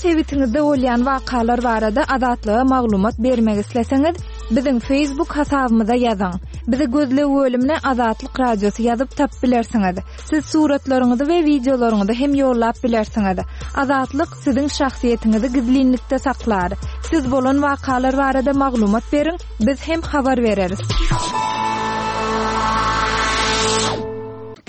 sebitiňizde bolýan wakalar barada Azatlyga maglumat bermek isleseňiz, biziň Facebook hasabymyza ýazyň. Bizi gözleg bölümine Azatlyk Radiosy ýazyp tapyp bilersiňiz. Siz suratlaryňyzy we wideolaryňyzy hem ýollap bilersiňiz. Azatlyk siziň şahsyýetiňizi gizlinlikde saklar. Siz bolan wakalar barada maglumat beriň, biz hem habar bereris.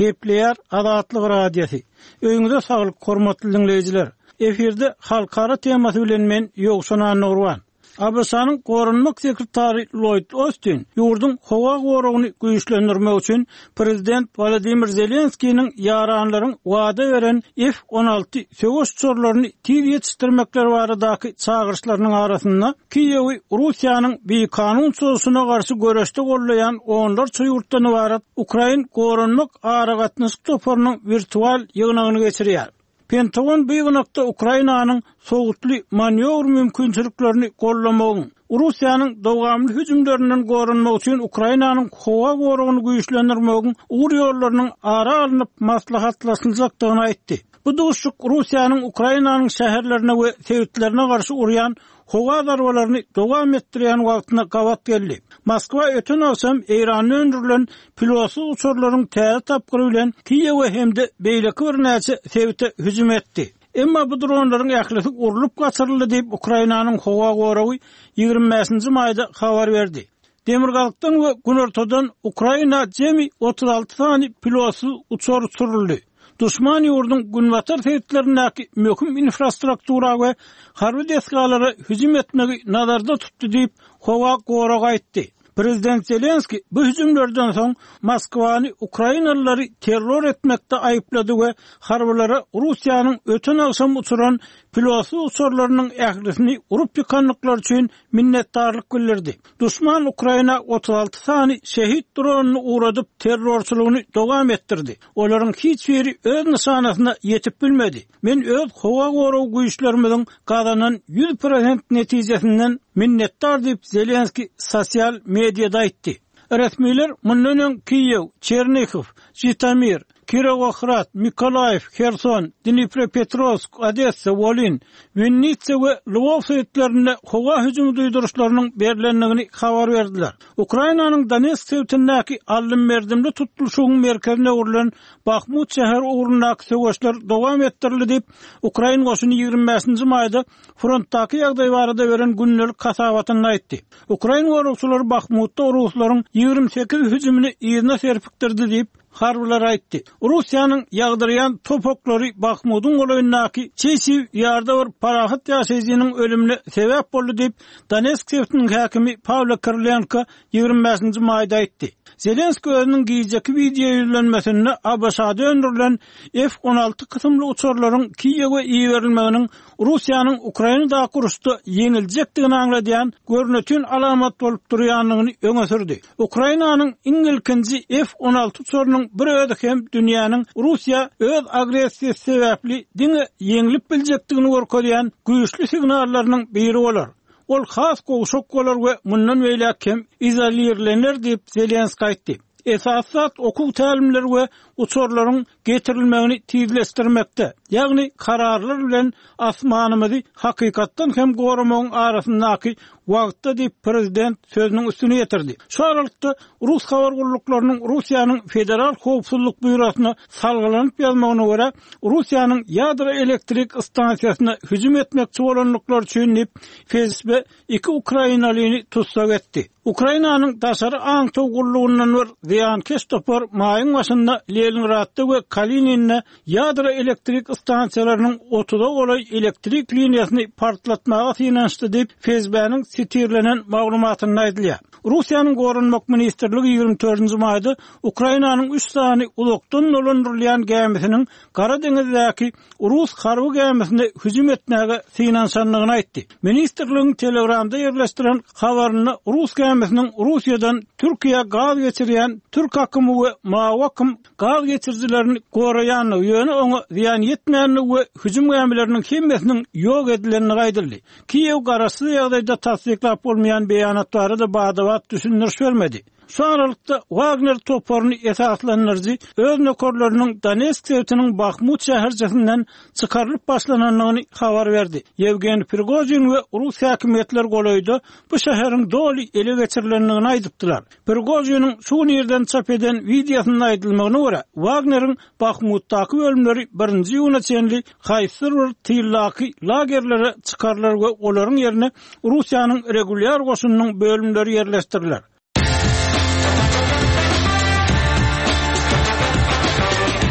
Gepleýär Azatlyk Radiosy. Öýüňize saglyk hormatly diňleýjiler. Efirde halkara temasy bilen men Ýowşan Annagurban. ABŞ-nyň goranmak sekretary Lloýd Ostin ýurduň howa goragyny güýçlendirmek üçin prezident Wolodymyr Zelenskiniň ýaranlaryň wada beren F-on alty söweş uçarlaryny tiz ýetişdirmekleri baradaky çagyryşlarynyň arasynda Kiýewi Russiýanyň bikanun çozuşyna garşy göreşde goldaýan onlarça ýurtdan ybarat Ukrain goranmak aragatnaşyk toparynyň wirtual ýygnagyny geçirýär. Pentagon bu ýygnakda Ukrainanyň sowutly manýowr mümkinçiliklerini goldamagyň, Russiýanyň dowamly hüjümlerinden goranmak üçin Ukrainanyň howa goragyny güýçlendirmegiň ugur-ýollarynyň ara alnyp maslahatlaşyljakdygyny aýtdy. Bu duşuşyk Russiýanyň Ukrainanyň şäherlerine we sebitlerine garşy urýan howa zarbalaryny dowam etdirýän wagtyna gabat geldi. Moskwa öten agşam Eýranda öndürilen pilotsyz uçarlaryň täze tapgyry bilen Kiýewe hem-de beýleki birnäçe sebite hüjüm etdi. Emma bu dronlaryň ählisi urlup gaçyryldy diýip, Ukrainanyň howa goragy 25-nji maýda habar berdi. Demirgazykdan we günortadan Ukraina jemi 36 sany pilotsyz uçar uçuryldy. Duşman ýurduň günbatar sebitlerindäki möhüm infrastruktura we harby desgalara hüjüm etmegi nazarda tutdy diýip, howa goragy aýtdy. Prezident Zelenskiý bu hüjümlerden soň Moskwany ukrainalylary terror etmekde aýyplady we harbylara Russiýanyň öten agşam uçuran pilotsyz uçarlarynyň ählisini urup ýykandyklary üçin minnetdarlyk bildirdi. Duşman Ukraina 36 sany şehit dronyny ugradyp, terrorçylygyny dowam etdirdi. Olaryň hiç biri öz nyşanasyna ýetip bilmedi. Men öz howa gorag güýçlerimiziň gazanan 100 prosent netijesinden minnetdar diýip, Zelenskiý sosial mediada aýtdy. Resmiler mundan öň Kiýew, Çernihiw, Žitomir, Kirowohrad, Mykolaýiw, Herson, Dniprepetrowsk, Odessa, Wolyn, Winnitsa we Lwow sebitlerinde howa hüjümi duýduryşlarynyň berlendigini habar berdiler. Ukrainanyň Donetsk sebitindäki aldym-berdimli tutluşygyň merkezine öwrülen Bahmut şäheri ugrundaky söweşler dowam etdirildi diýip, ukrain goşuny 25-nji maýda frontdaky ýagdaý barada beren gündelik hasabatynda aýtdy. Ukrain goragçylary Bahmutda ruslaryň 28 hüjümini yzyna serpikdirdi diýip, harbylar aýtdy. Russiýanyň ýagdyrýan top oklary Bahmudyň golaýyndaky Çesiw Ýarda bir parahat ýaşaýjynyň ölümine sebäp boldy diýip, Donetsk sebitiniň häkimi Pawlo Kirilenko 25-nji maýda aýtdy. Zelenskiý özüniň gijeki wideo ýüzlenmesinde ABŞ-da öndürilen F-on alty kysymly uçarlaryň Kiýewe iberilmeginiň Russiýanyň Ukrainadaky uruşda ýeňiljekdigini aňladýan görnetin alamat bolup durýandygyny öňe sürdi. Ukrainanyň iň ilkinji F-on alty uçarynyň bir özi hem dünýäniň Russiýa öz agressiýasy sebäpli diňe ýeňlip biljekdigini görkezýän güýçli signallarynyň biri bolar. Ol has gowşak bolar we mundan beýläk hem izolirlener diýip, Zelenskiý aýtdy. Esasy zat okuw tälimleri we uçarlaryň getirilmegini tizleşdirmekde, ýagny kararlar bilen asmanymyzy hakykatdan hem goramagyň arasyndaky wagtda diýip, prezident sözüniň üstüni ýetirdi. Şu aralykda, rus habar gulluklarynyň Russiýanyň Federal howpsuzlyk býurosyna salgylanyp ýazmagyna görä, Russiýanyň ýadro elektrik stansiýasyna hüjüm etmekçi bolandyklary üçin diýip, FSB iki ukrainalyny tussag etdi. Ukrainanyň daşary aňtaw gullugyndan bir zyýankeş topar maýyň başynda Leningradda we Kalininde ýadro elektrik stansiýalarynyň otuza golaý elektrik liniýasyny partlatmaga synanyşdy diýip, FSB-niň sitirlenen maglumatynda aýdylýar. Russiýanyň Goranmak ministrligi 24-nji maýda Ukrainanyň üç sany uzakdan dolandyrylýan gämisiniň Gara deňizdäki rus harby gämisine hüjüm etmäge synanyşandygyny aýtdy. Ministrligiň Telegramda ýerleşdiren habarynda rus gämisiniň Russiýadan Türkiýä gaz geçirýän Türk akymy we Mawy akym gaz geçirijilerini goraýandygy, ýöne oňa zyýan ýetmändigi we hüjüm gämileriniň hemmesiniň ýok edilendigi aýdyldy. Kiýew garaşsyz ýagdaýda tassyklap bolmaýan beýanat barada bada-bat düşündiriş bermedi. Şu aralykda, Wagner toparyny esaslandyryjy öz nökerleriniň Donetsk sebitiniň Bahmut şäherçesinden çykarylyp başlanandygyny habar berdi. Ýewgeniý Prigožin we rus häkimiýetleri golaýda bu şäheriň doly ele geçirilendigini aýdypdylar. Prigožiniň şu gün irden çap eden wideosynda aýdylmagyna görä, Wagneriň Bahmutdaky bölümleri birinji iýuna çenli haýsydyr bir tyldaky lagerlere çykarylar we olaryň ýerine Russiýanyň regulýar goşunynyň bölümleri ýerleşdiriler.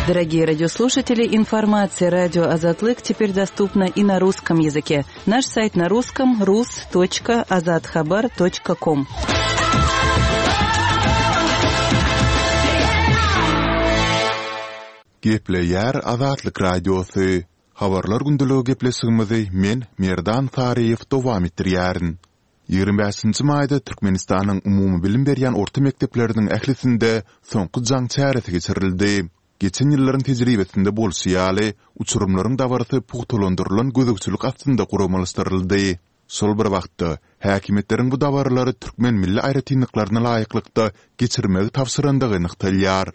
Дорогие радиослушатели, информация радио Азатлык теперь доступна и на русском языке. Наш сайт на русском rus.azathabar.com. Gepleýär Azatlyk Radiosy. Habarlar gündeligi gepleşigimizi men, Merdan Saryýew dowam etdirýärin. 25-nji maýda Türkmenistanyň umumybilim berýän orta mekdepleriniň ählisinde Soňky jaň çäresi geçirildi. Geçen ýyllaryň tejribesinde bolşy ýaly, uçurymlaryň dabarasy pugtalandyrylan gözegçilik astynda guramalaşdyryldy. Şol bir wagtda, häkimiýetleriň bu dabaralary türkmen milli aýratynlyklaryna laýyklykda geçirmegi tabşyrandygy nygtalýar.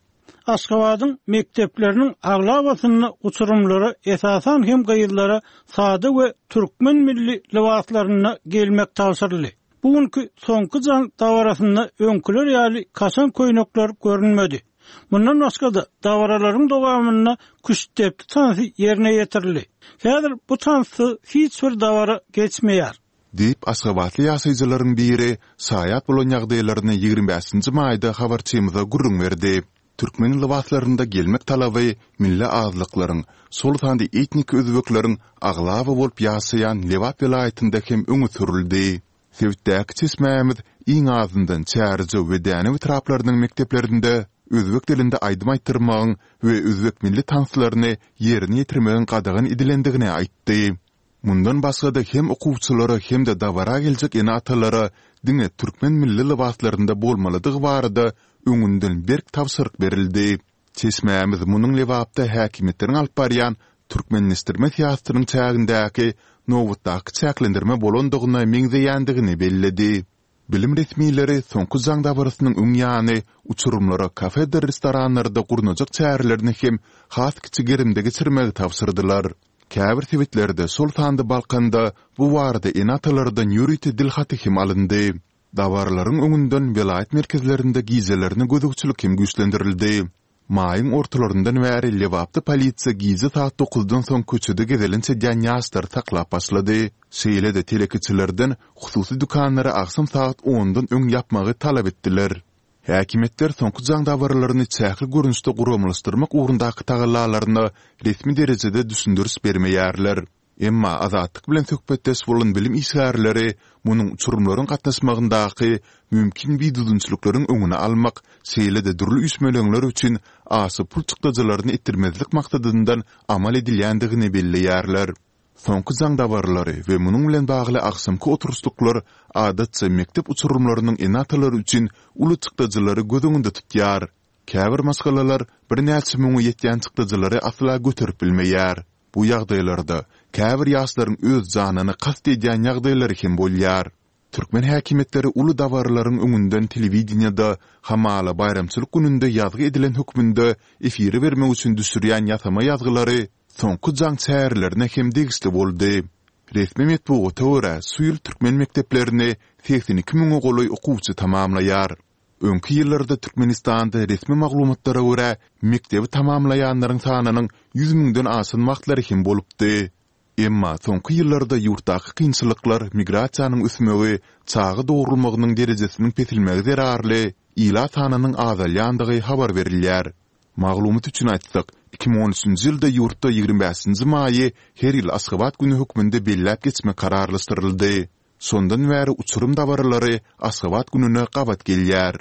Aşgabadyň mekdepleriniň aglabasynda uçurymlara, esasan hem gyzlara sada we türkmen milli lybaslarynda gelmek tabşyryldy. Bu günki Soňky jaň dabarasynda öňküler ýaly kaşaň köýnekler görünmedi. Mundan başga-da, dabaralaryň dowamynda küştdepdi tansy ýerine ýetirildi. Häzir bu tanssyz hiç bir dabara geçmeýär. Diýip, aşgabatly ýaşaýjylaryň biri şaýat bolan ýagdaýlaryny 25-nji maýda habarçymyza gürrüň berdi. Türkmen lybaslarynda gelmek talaby milli azlyklaryň, şol sanda etniki özbekleriň aglaba bolup ýaşaýan Lebap welaýatynda hem öňe sürüldi. Sebitdäki çeşmämiz iň azyndan Çärjew we Dänew etraplarynyň mekdeplerinde özbek dilinde aýdym aýtdyrmagyň we özbek milli tanslaryny ýerine ýetirmegiň gadagan edilendigini aýtdy. Mundan başga-da hem okuwçylara hem-de dabara geljek ene-atalara diňe türkmen milli lybaslarynda bolmalydygy barada öňünden berk tabşyryk berildi. Çeşmämiz munuň Lebapda häkimiýetleriň alyp barýan türkmenleşdirme syýasatynyň çägindäki nobatdaky çäklendirme bolandygyna meňzeýändigini belledi. Bilim resmileri soňky jaň dabarasynyň öň ýany uçurymlara kafedir restoranlarda gurnajak çärelerini hem has kiçi gerimde geçirmegi tabşyrdylar. Käbir sebitlerde, şol sanda Balkanda bu barada ene-atalardan ýörite dil haty hem alyndy. Dabaralaryň öňünden welaýat merkezlerinde gijelerine gözegçilik hem güýçlendirildi. Maýyň ortalaryndan bäri Lebapda polisiýa gije saat dokuzdan soň köçede gezelenç edýän ýaşlary saklap başlady. Şeýle-de telekeçilerden hususy dükanlary agşam sagat ondan öň ýapmagy talap etdiler. Häkimiýetler soňky jaň dabaralaryny çäkli görnüşde guramalaşdyrmak ugrundaky tagallalaryna resmi derejede düşündiriş bermeýärler. Emma Azatlyk bilen söhbetdeş bolan bilim işgärleri munuň uçurymlaryň gatnaşmagyndaky mümkin bidüzgünçilikleriň öňüni almak, şeýle-de dürli üýşmeleňler üçin aşa pul çykdajylaryny etdirmezlik maksadyndan amal edilýändigini belleýärler. Soňky jaň dabaralary we munuň bilen bagly agşamky oturyşlyklar adatça mekdep uçurymlarynyň ene-atalary üçin uly çykdajylary göz öňünde tutýar. Käbir maşgalalar birnäçe müňe ýetýän çykdajylary asla göterip bilmeýär. Bu ýagdaýlarda käbir ýaşlaryň öz janyna kast edýän ýagdaýlary hem bolýar. Türkmen häkimiýetleri uly dabaralaryň öňünden telewideniýede hamala baýramçylyk gününde ýazgy edilen hökmünde efire bermek üçin düşürýän ýasama ýazgylary soňky jaň çärelerine hem degişli boldy. Resmi metbugata görä, şu ýyl türkmen mekdeplerini 82 müňe golaý okuwçy tamamlaýar. Öňki ýyllarda Türkmenistanda resmi maglumatlara görä, mekdebi tamamlaýanlaryň sanynyň 100 müňden aşan wagtlary hem bolupdy. Emma soňky ýyllarda ýurtdaky kynçylyklar, migrasiýanyň ösmegi, çaga dogrulmagynyň derejesiniň peselmegi zerarly ilat sanynyň azalýandygy habar berilýär. Maglumat üçin aýtsak, 2013-nji ýylda ýurtda 25-nji maýy her ýyl Aşgabat güni hökmünde belläp geçmek kararlaşdyryldy. Şondan bäri uçurym dabaralary Aşgabat gününe gabat gelýär.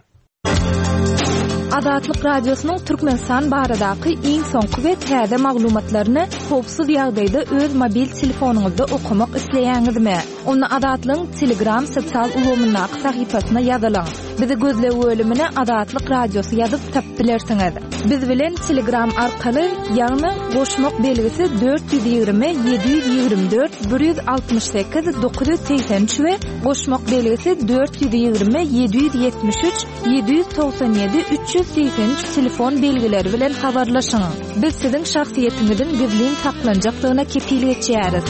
Azatlyk Radiosynyň Türkmenistan baradaky iň soňky we täze maglumatlaryny howpsuz ýagdaýda öz mobil telefonyňyzda okamak isleýäňizmi? Onda Azatlygyň Telegram sosial ulgamyndaky sahypasyna ýazylyň. Bizi gözleg bölümine Azatlyk Radiosy ýazyp tapyp bilersiňiz. Biz bilen Telegram arkaly, ýagny goşmak belgisi 420 724 168 983 we goşmak belgisi 420 773 797 383 telefon belgileri bilen habarlaşyň. Biz siziň şahsyýetiňiziň gizlin saklanjakdygyna kepil geçýäris.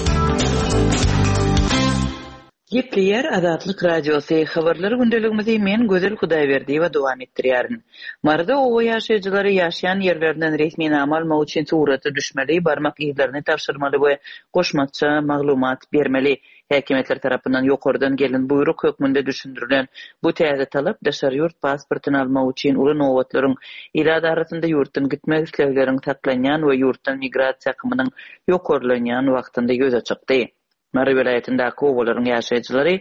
Gepleýär Azatlyk Radiosy, Habarlar gündeligimizi men Gözel Hudaýberdiýewa dowam etdirýärin. Maryda oba ýaşaýjylary ýaşaýan ýerlerinden resminama almak üçin surata düşmeli, barmak yzlaryny tabşyrmaly we goşmaça maglumat bermeli. Häkimiýetler tarapyndan ýokardan gelen buýruk hökmünde düşündirilen bu täze talap daşary ýurt pasportyny almak üçin uly nobatlaryň, ilat arasynda ýurtdan gitmek islegleriň saklanýan we ýurtdan migrasiýa akymynyň ýokarlanýan wagtynda ýüze çykdy. Mary welaýatyndaky obalaryň ýaşaýjylary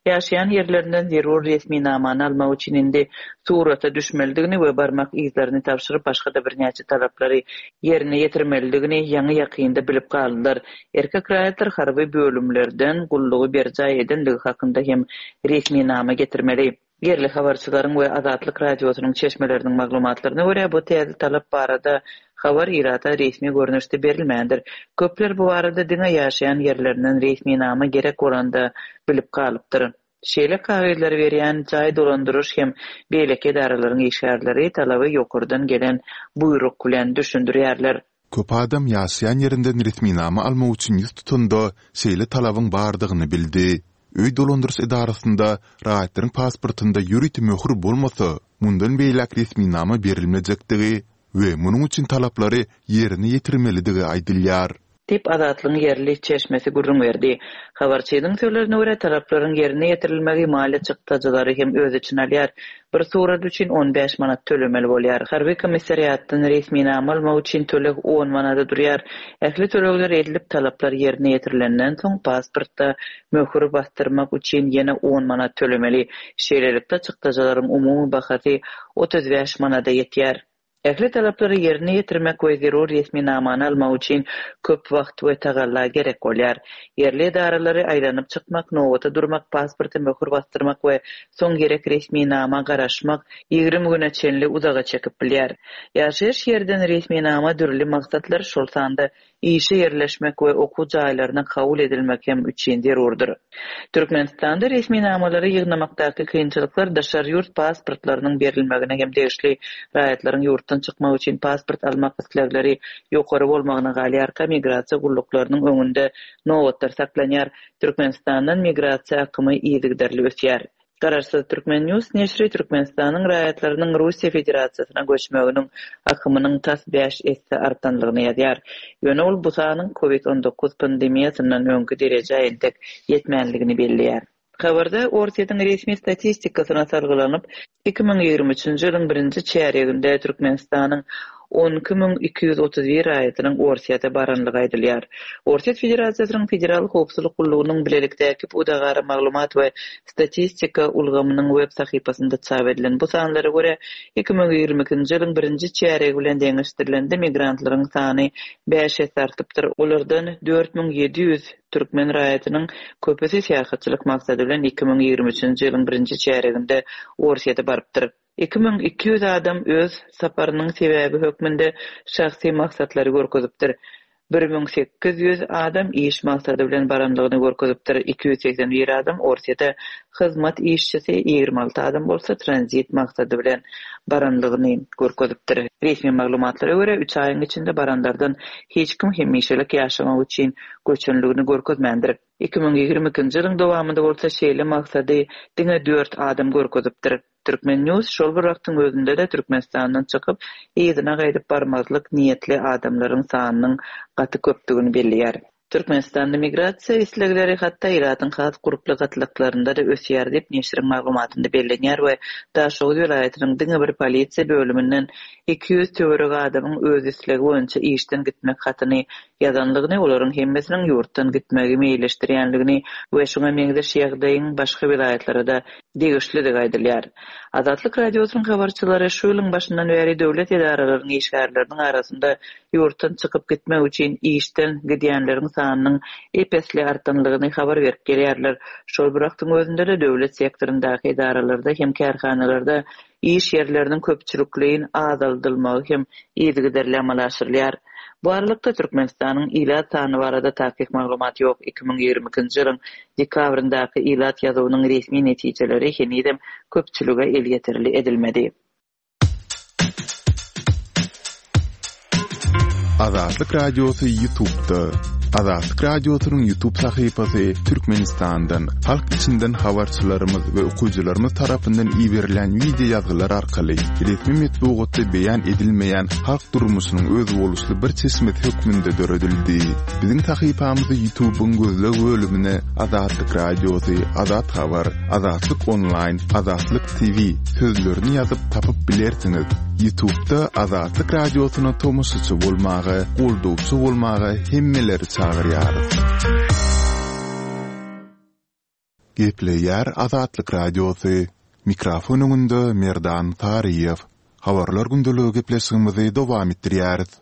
ýaşaýan ýerlerinden zerur resminamany almak üçin indi surata düşmelidigini we barmak yzlaryny tabşyryp başga-da birnäçe talaplary ýerine ýetirmelidigini ýaňy-ýakynda bilip galdylar. Erkek raýatlar harby bölümlerden gullugy berjaý edenligi hakynda hem resminama getirmeli. Ýerli habarçylaryň we Azatlyk Radiosynyň çeşmeleriniň maglumatlaryna görä, bu täze talap barada habar ilata resmi görnüşde berilmändir. Köpler bu barada diňe ýaşaýan ýerlerinden resminama gerek bolanda bilip galypdyr. Şeýle kagyzlary berýän jaý dolandyryş hem beýleki edaralaryň işgärleri talaby ýokardan gelen buýruk bilen düşündirýärler. Köp adam ýaşaýan ýerinden resminama almak üçin ýüz tutanda şeýle talabyň bardygyny bildi. Öý dolandyryş edarasynda raýatlaryň pasportynda ýörite möhür bolmasa, mundan beýläk resminama berilmejekdigi we munuň üçin talaplary ýerine ýetirmelidigi aýdylýar. Diýip, Azatlygyň ýerli çeşmesi gürrüň berdi. Habarçynyň sözlerine görä, talaplaryň ýerine ýetirilmegi maliýe çykdajylary hem öz içine alýar. Bir surat üçin 15 manat tölemeli bolýar. Harby komissariatdan resminama almak üçin töleg on manada durýar. Ähli tölegler edilip, talaplar ýerine ýetirilenden soň, pasportda möhür basdyrmak üçin ýene on manat tölemeli. Şeýlelikde, çykdajylaryň umumy bahasy 35 manada ýetýär. Ähli talaplary ýerine ýetirmek we zerur resminamany almak üçin köp wagt we tagalla gerek bolýar. Ýerli edaralary aýlanyp çykmak, nobata durmak, pasporta möhür basdyrmak we soň gerek resminama garaşmak 20 güne çenli uzaga çekip bilýär. Ýaşaýyş ýerden resminama dürli maksatlar, şol sanda işe ýerleşmek we okuw jaýlaryna kabul edilmek hem üçin zerurdyr. Türkmenistanda resminamalary ýygnamakdaky kynçylyklar daşary ýurt pasportlarynyň berilmegine hem degişli. Raýatlaryň ýurtdan çykmak üçin pasport almak islegleri ýokary bolmagyna galýarka, migrasiýa gulluklarynyň öňünde nobatlar saklanýar. Türkmenistandan migrasiýa akymy yzygiderli ösýär. Garaşsyz Turkmen News neşiri Türkmenistanyň raýatlarynyň Russiýa Federasiýasyna göçmeginiň akymynyň tas bäş esse artanlygyny ýazýar. Ýöne ol bu sanyň Covid 19 pandemiýasyndan öňki derejä entek ýetmänligini belleýär. Habarda Orsýetiň resmi statistikasyna salgylanyp, 2023-nji ýylyň birinji çärýeginde Türkmenistanyň 12 231 raýatynyň Orsýete baranlygy aýdylýar. Orsýet Federasiýasynyň Federal howpsuzlyk gullugynyň bilelikdäki pudagara maglumat we statistika ulgamynyň web sahypasynda çap edilen bu sanlara görä, 2022-nji ýylyň birinji çärýegi bilen deňeşdirilende migrantlaryň sany bäş esse artypdyr, olardan 4700 türkmen raýatynyň köpüsi syýahatçylyk maksady bilen 2023-nji ýylyň birinji çärýeginde Orsýete barypdyr. 2200 adam öz saparynyň sebäbi hökmünde şahsy maksatlary görkezipdir. 1800 adam iş maksady bilen baranlygyny görkezipdir. 281 adam Orsýete hyzmat işçisi, 26 adam bolsa tranzit maksady bilen baranlygyny görkezipdir. Resmi maglumatlara görä, üç aýyň içinde baranlardan hiç kim hemişelik ýaşamak üçin göçenligini görkezmändir. 2022-nji ýylyň dowamynda bolsa şeýle maksady diňe dört adam görkezipdir. Turkmen News şol bir wagtyň özünde-de Türkmenistandan çykyp, yzyna gaýdyp barmazlyk niýetli adamlaryň sanynyň gaty köpdügini belleýär. Türkmenistanda migrasiýa islegleri hatda ilatyň has gurply gatlaklarynda-da ösýär diýip, neşiriň maglumatynda bellenýär we Daşoguz welaýatynyň diňe bir polisiýa bölüminden 200 töweregi adamyň öz islegi boýunça işden gitmek hatyny ýazandygyny, olaryň hemmesiniň ýurtdan gitmegi meýilleşdirýändigini we şuňa meňzeş ýagdaýyň başga welaýatlara-da degişlidigi aýdylýar. Azatlyk Radiosynyň habarçylary şu ýylyň başyndan bäri döwlet edaralarynyň işgärleriniň arasynda ýurtdan çykyp gitmek üçin işden gidýänleriň sanynyň ep-esli artanlygyny habar berip gelýärler. Şol bir wagtyň özünde-de döwlet sektoryndaky edaralarda hem kärhanalarda iş ýerleriniň köpçülikleýin azaldylmagy hem yzygiderli amala aşyrylýar. Bu aralykda, Türkmenistanyň ilat sany barada takyk maglumat ýok, 2022-nji ýylyň dekabryndaky ilat ýazuwynyň resmi netijeleri henizem köpçülige elýeterli edilmedi. Azatlyk Radiosy YouTube'da. Azatlyk Radiosynyň YouTube sahypasy Türkmenistandan, halk içinden habarçylarymyz we okyjylarymyz tarapyndan iberilen wideo ýazgylar arkaly resmi metbugatda beýan edilmeýän halk durmuşynyň özboluşly bir çeşmesi hökmünde döredildi. Biziň sahypamyzy YouTube'yň gözleg bölümine Azatlyk Radiosy, Azat Habar, Azatlyk Onlaýn, Azatlyk TV sözlerini ýazyp tapyp bilersiňiz. Ýutubda Azatlyk Radiosyna tomaşaçy bolmaga, goldawçy bolmaga hemmeleri çagyrýarys. Gepleýär Azatlyk Radiosy. Mikrofon öňünde Merdan Saryýew. Habarlar gündeligi gepleşigimizi dowam etdirýäris.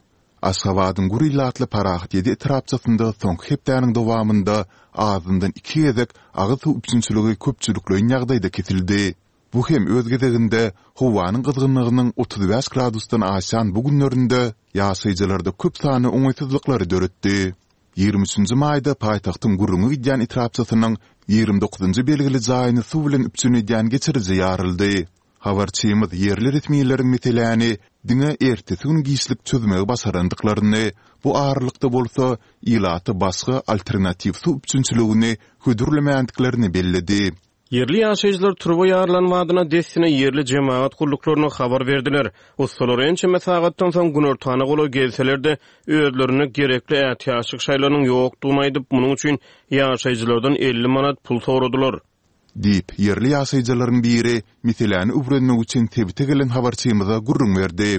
Aşgabadyň gür ilatly Parahat ýedi etrapçasynda soňky hepdäniň dowamynda azyndan iki gezek agyz suw üpjünçiligi köpçülikleýin ýagdaýda kesildi. Bu hem öz gezeginde howanyň gyzgynlygynyň 35 gradusdan aşýan bu günlerinde ýaşaýjylarda köp sanly oňaýsyzlyklary döretdi. Ýigrimi üçünji maýda paýtagtyň gürrüňi gidýän etrapçasynyň ýigrimi dokuzynjy belgili jaýyny suw bilen üpjün edýän geçiriji ýaryldy. Habarçymyz ýerli resmileriň meseläni diňe ertesi gün giçlik çözmegi başarandyklaryny, bu aralykda bolsa ilata başga alternatiw suw üpjünçiligini hödürlemändiklerini belledi. Ýerli ýaşaýjylar turba ýarylan badyna dessine ýerli jemagat gulluklaryna habar berdiler. Ussalar ençeme sagatdan soň günortana golaý gelseler-de, özlerinde gerekli ätiýaçlyk şaýlarynyň ýokdugyny aýdyp, munuň üçin ýaşaýjylardan 50 manat pul soradylar. Diýip, ýerli ýaşaýjylaryň biri meseläni öwrenmek üçin sebite gelen habarçymyza gürrüň berdi.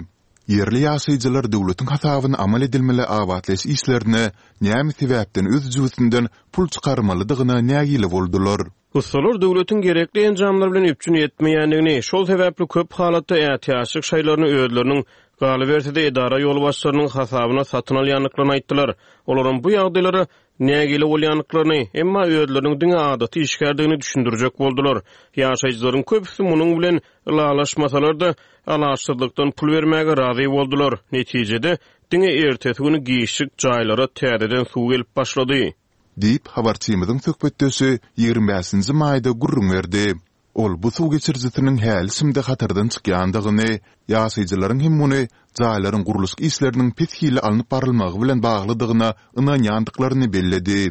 Ýerli ýaşaýjylar döwletiň hasabyna amal edilmeli abatlaýyş işlerine näme sebäpden öz jübüsinden pul çykarmalydygyna nägile boldular. Ussalar döwletiň gerekli enjamlar bilen üpjün etmeýändigini, şol sebäpli köp halatda ätiýaçlyk şaýlaryny özleriniň, galyberse-de edara ýolbaşçylarynyň hasabyna satyn alýandyklaryny aýtdylar. Olaram bu ýagdaýlara nägile bolýandyklaryny, emma özleriniň diňe adaty işgärdigini düşündirjek boldular. Ýaşaýjylaryň köpüsi munuň bilen ylalaşmasalar-da, alaçsyzlykdan pul bermäge razy boldular. Netijede, diňe ertesi güni giçlik jaýlara täzeden suw gelip başlady. Diýip, habarçymyzyň söhbetdeşi ýigrimi bäşinji maýda gürrüň berdi. Ol bu suw geçirijisiniň häli-şindi hatardan çykýandygyny, ýaşaýjylaryň hem muny jaýlaryň gurluşyk işleriniň pes hilli alnyp barylmagy bilen baglydygyna ynanýandyklaryny belledi.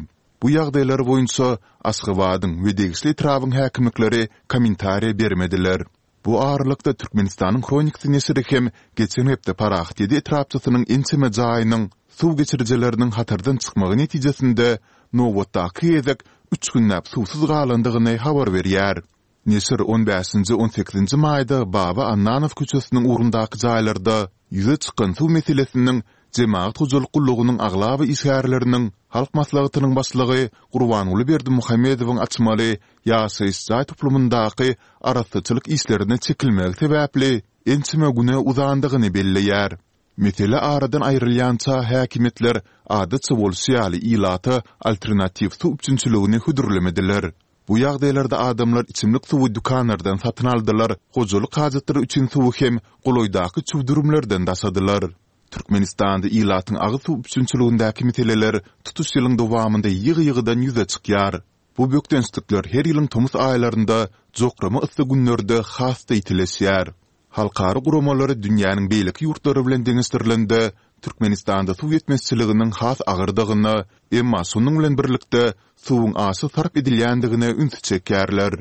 Bu ýagdaýlar boýunça Aşgabadyň we degişli etrabyň häkimlikleri kommentariýa bermediler. Bu aralykda, Türkmenistanyň Hronikasy neşiri hem geçen hepde Parahat ýedi etrapçasynyň ençeme jaýynyň suw geçirijileriniň hatardan çykmagy netijesinde nobatdaky gezek üç günläp suwsuz galandygyny habar berýär. Neşir on bäşinji, on sekizinji maýda Baba Annanow köçesiniň ugrundaky jaýlarda ýüze çykan suw meselesiniň Jemagat hojalyk gullugynyň aglaba işgärleriniň Halk Maslahatynyň başlygy Gurbanguly Berdimuhamedowyň açmaly ýaşaýyş jaý toplumyndaky arassaçylyk işlerine çekilmegi sebäpli ençeme güne uzandygyny belleýär. Mesele aradan aýrylýança häkimiýetler adatça bolşy ýaly ilata alternatiw suw üpjünçiligini hödürlemediler. Bu ýagdaýlarda adamlar içimlik suwy dükanlardan satyn aldylar, hojalyk hajatlary üçin suwy hem golaýdaky çüwdürimlerden daşadylar. Türkmenistanda ilatyň agyz suw üpjünçiligindäki meseleler tutuş ýylyň dowamynda ýygy-ýygydan ýüze çykýar. Bu bökdençlikler her ýylyň tomus aýlarynda jokrama yssy günlerde has-da ýitileşýär. Halkara guramalary dünýäniň beýleki ýurtlary bilen deňeşdirilende, Türkmenistanda suw ýetmezçiliginiň has agyrdygyna, emma şonuň bilen birlikde, suwuň aşa sarp edilýändigine ünsi çekýärler.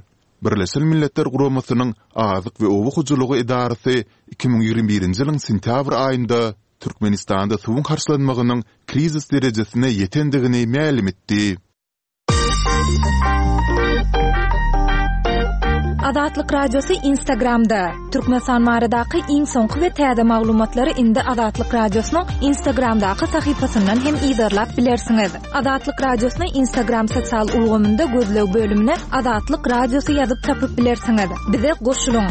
Birleşen Milletler Guramasynyň Azyk we oba hojalygy edarasy 2021-nji ýylyň sentýabr aýynda Türkmenistanda suwuň harçlanmagynyň krizis derejesine ýetendigini mälim etdi. Azatlyk Radiosy Instagramda! Türkmenistan baradaky iň soňky we täze maglumatlary indi Azatlyk Radiosynyň Instagramdaky sahypasyndan hem yzarlap bilersiňiz. Azatlyk Radiosyny Instagram sosial ulgamynda gözleg bölümine Azatlyk Radiosy ýazyp tapyp bilersiňiz. Bize goşulyň!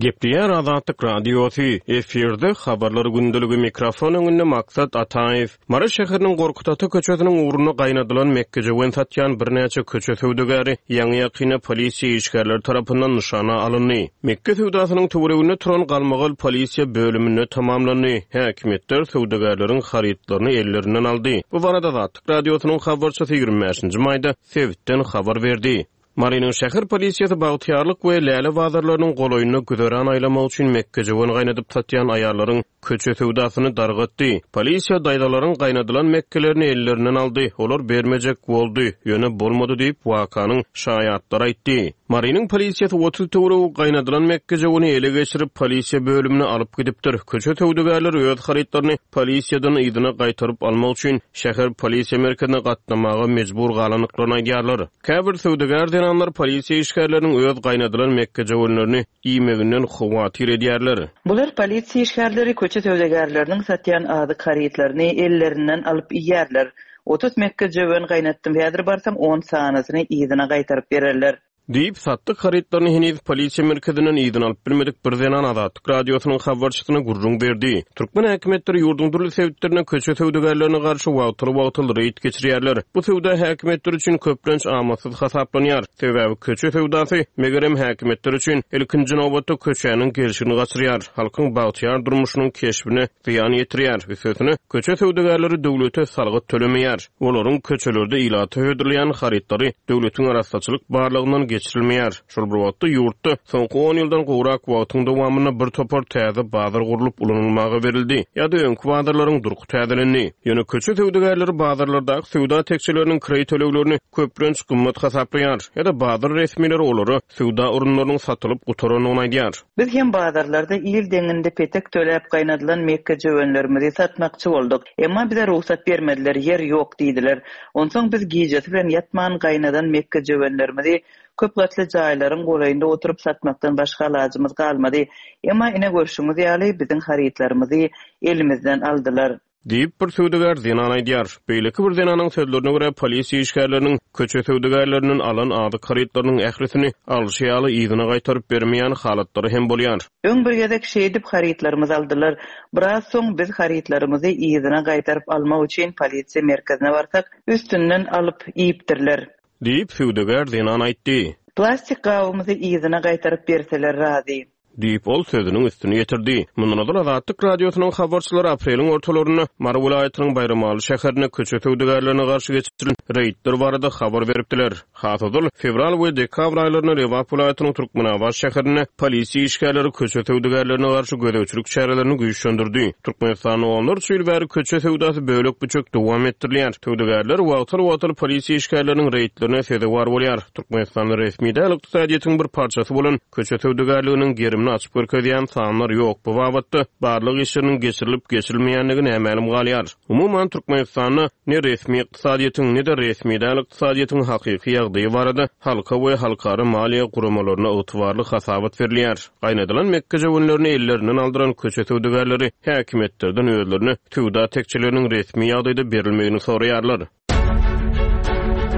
Gepleýär Azatlyk Radiosy, efirde Habarlar gündeligi, mikrofon öňünde Maksat Ataýew. Mary şäheriniň Gorkut ata köçesiniň ugrunda gaýnadylan mekgejöwen satýan birnäçe köçe söwdagäri ýaňy-ýakynda polisiýa işgärleri tarapyndan nyşana alyndy. Mekge söwdasynyň töwereginde turan galmagal polisiýa bölüminde tamamlandy. Häkimiýetler söwdagärleriň harytlaryny ellerinden aldy. Bu barada Azatlyk Radiosynyň habarçysy 25-nji maýda sebitden habar berdi. Marynyň şäher polisiýasy Bagtyýarlyk we Läle bazarlarynyň golaýynda güzeran aýlamak üçin mekgejöwen gaýnadyp satýan aýallaryň köçe söwdasyny dargatdy. Polisiýa daýzalaryň gaýnadylan mekgelerini ellerinden aldy, olar bermejek boldy, ýöne bolmady diýip, wakanyň şaýatlary aýtdy. Marynyň polisiýasy 30 töweregi gaýnadylan mekgejöweni ele geçirip, polisiýa bölümine alyp gidipdir. Köçe söwdagärleri öz harytlaryny polisiýadan yzyna gaýtaryp almak üçin şäher polisiýa merkezine gatnamaga mejbur galandyklaryny aýdýarlar. Käbir söwdagär zenanlar polisiýa işgärleriniň öz gaýnadylan mekgejöwenlerini iýmeginden howatyr edýärler. Bular polisiýa işgärleri köçe söwdagärleriniň satýan azyk harytlaryny ellerinden alyp iýýärler. 30 mekgejöwen gaýnatdym, häzir barsam on sanysyny yzyna gaýtaryp bererler. Diýip, satdyk harytlaryny heniz polisiýa merkezinden yzyna alyp bilmedik bir zenan Azatlyk Radiosynyň habarçysyna gürrüň berdi. Türkmen häkimiýetleri ýurduň dürli sebitlerinde köçe söwdagärlerine garşy wagtal-wagtal reýd geçirýärler. Bu söwda häkimiýetler üçin köplenç amatsyz hasaplanýar. Sebäbi köçe söwdasy, megerem, häkimiýetler üçin, ilkinji nobatda, köçäniň gelşigini gaçyrýar, halkyň bagtyýar durmuşynyň keşbine zyýan ýetirýär. Üstesine, köçe söwdagärleri döwlete salgyt tölemeýär. Olaryň köçelerde ilata hödürleýän harytlary döwletiň arassaçylyk barlagyndan geçirilmeýär. Şol bir wagtda, ýurtda soňky on ýyldan gowrak wagtyň dowamynda bir topar täze bazar gurlup ulanylmaga berildi ýa-da öňki bazarlaryň durky täzelendi. Ýöne köçe söwdagärleri bazarlardaky söwda tekjeleriniň kireý töleglerini köplenç gymmat hasaplaýar ýa-da bazar resmileri olara söwda orunlarynyň satylyp gutarandygyny aýdýar. Biz hem bazarlarda il deňinde petek töläp gaýnadylan mekgejöwenlerimizi satmakçy bolduk. Emma bize rugsat bermediler, ýer ýok diýdiler. Onsoň biz gijesi bilen ýatman gaýnadan mekgejöwenlerimizi Köp gatly jaýlaryň golaýynda oturyp satmakdan başga alajymyz galmady. Emma ine görşüňiz ýaly, biziň harytlarymyzy elimizden aldylar. Diýip, bir söwdagär zenan aýdýar. Beýleki bir zenanyň sözlerine görä, polisiýa işgärleriniň köçe söwdagärlerinden alan azyk harytlarynyň ählisini alşy ýaly yzyna gaýtaryp bermeýän halatlary hem bolýar. Öň bir gezek şeýdip harytlarymyzy aldylar. Biraz soň biz harytlarymyzy yzyna gaýtaryp almak üçin polisiýa merkezine barsak, üstünden alyp iýipdirler. Diýip, söwdagär zenan aýtdy. Plastik gabymyzy yzyna gaýtaryp berseler razy. Diýip, ol sözüniň üstüni ýetirdi. Mundan ozal Azatlyk Radiosynyň habarçylary apreliň ortalarynda Mary welaýatynyň Baýramaly şäherinde köçe söwdagärlerine garşy geçirilen reýdler barada habar beripdiler. Has ozal, fewral we dekabr aýlarynda Lebap welaýatynyň Türkmenabat şäherinde polisiýa işgärleri köçe söwdagärlerine garşy gözegçilik çärelerini güýçlendirdi. Türkmenistanda onlarça ýyl bäri köçe söwdasy bölek-büçek dowam etdirilýär. Söwdagärler wagtal-wagtal polisiýa işgärleriniň reýdlerine sezewar bolýar. Türkmenistanda resmi däl ykdysadyýetiň bir parçasy bolan köçe söwdagärliginiň gerimini açyp görkezýän sanlar ýok. Bu babatda barlag işleriniň geçirilip-geçirilmeýändigi nämälim galýar. Umuman, Türkmenistanda ne resmi ykdysadyýetiň, ne-de resmi däl ykdysadyýetiň hakyky ýagdaýy barada halka we halkara maliýe guramalaryna ygtybarly hasabat berilýär. Gaýnadylan mekgejöwenlerini ellerinden aldyran köçe söwdagärleri häkimiýetlerden özlerine söwda tekjeleriniň resmi ýagdaýda berilmegini soraýarlar.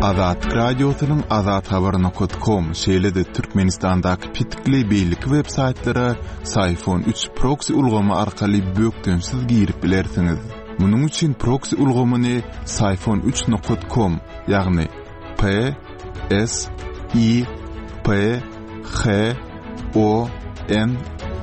Azatlyk Radiosynyň Azathabar nokat kom, şeýle-de Türkmenistandaky petikli beýleki web saýtlara Syfon 3 proksi ulgamy arkaly bökdençsiz girip bilersiňiz. Munuň üçin proksi ulgamyny Syfon 3 nokat kom, ýagny P S I P H O N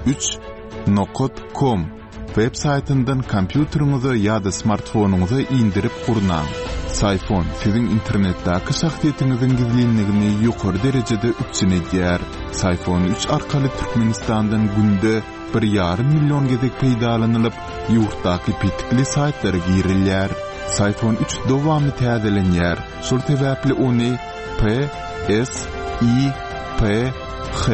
3 nokat kom web saýtyndan kompýuteriňize ýa-da smartfonyňyza indirip gurnaň. Syfon siziň internetdäki şahsyýetiňiziň gizlinligini ýokary derejede üpjün edýär. Syfon 3 arkaly Türkmenistandan günde bir ýarym million gezek peýdalanylyp, ýurtdaky petikli saýtlara girilýär. Syfon 3 dowamly täzelenýär, şol sebäpli ony P S I P H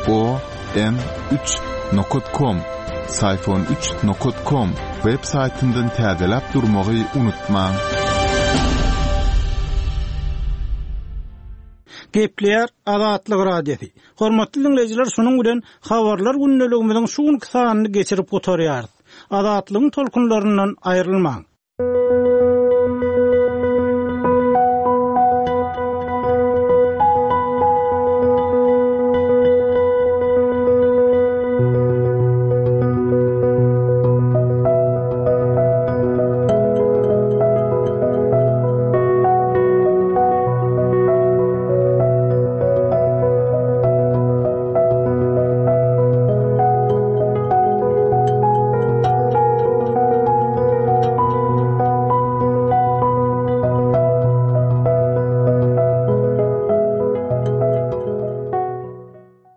O N 3 nokat kom, Syfon 3 nokat kom, web saýtyndan täzeläp durmagy unutmaň. Gepleýär Azatlyk Radiosy. Hormatly diňleýjiler, şunuň bilen Habarlar gündeligimiziň şu günki sanyny geçirip gutarýarys. Azatlygyň tolkunlaryndan aýrylmaň.